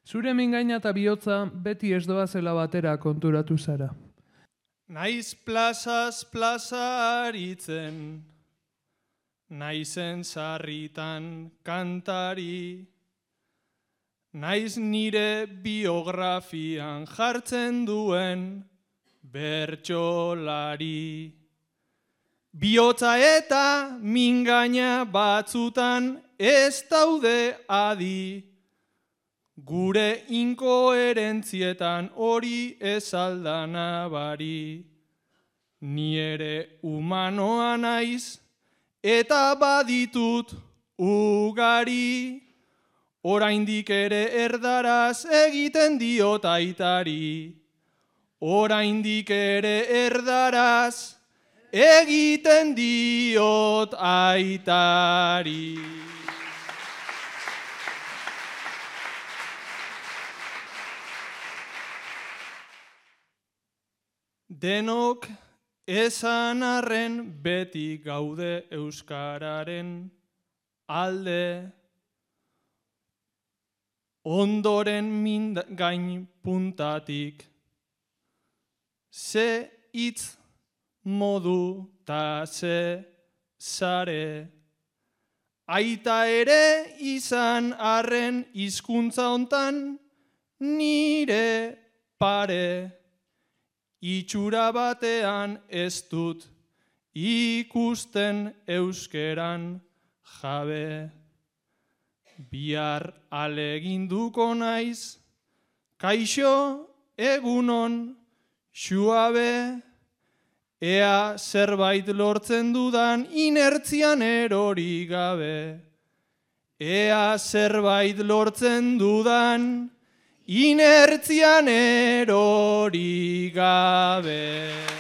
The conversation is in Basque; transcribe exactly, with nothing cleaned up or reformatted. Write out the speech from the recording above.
Zure mingaina eta bihotza beti ez doazela batera konturatu zara. Naiz plazaz plaza aritzen, naizen sarritan kantari, naiz nire biografian jartzen duen bertsolari. Bihotza eta mingaina batzutan ez daude adi, gure inkoherentzietan hori ez alda nabari. Ni ere humanoa naiz eta baditut ugari, oraindik ere erdaraz egiten diot aitari. Oraindik ere erdaraz egiten diot aitari. Denok esan arren beti gaude euskararen alde, ondoren mingain puntatik, ze hitz modu ta ze sare, aita ere izan arren hizkuntza hontan nire pare. Itxura batean ez dut ikusten euskeran jabe. Bihar aleginduko naiz, kaixo egunon xuabe, ea zerbait lortzen dudan inertzian erori gabe. Ea zerbait lortzen dudan inertzian erori gabe.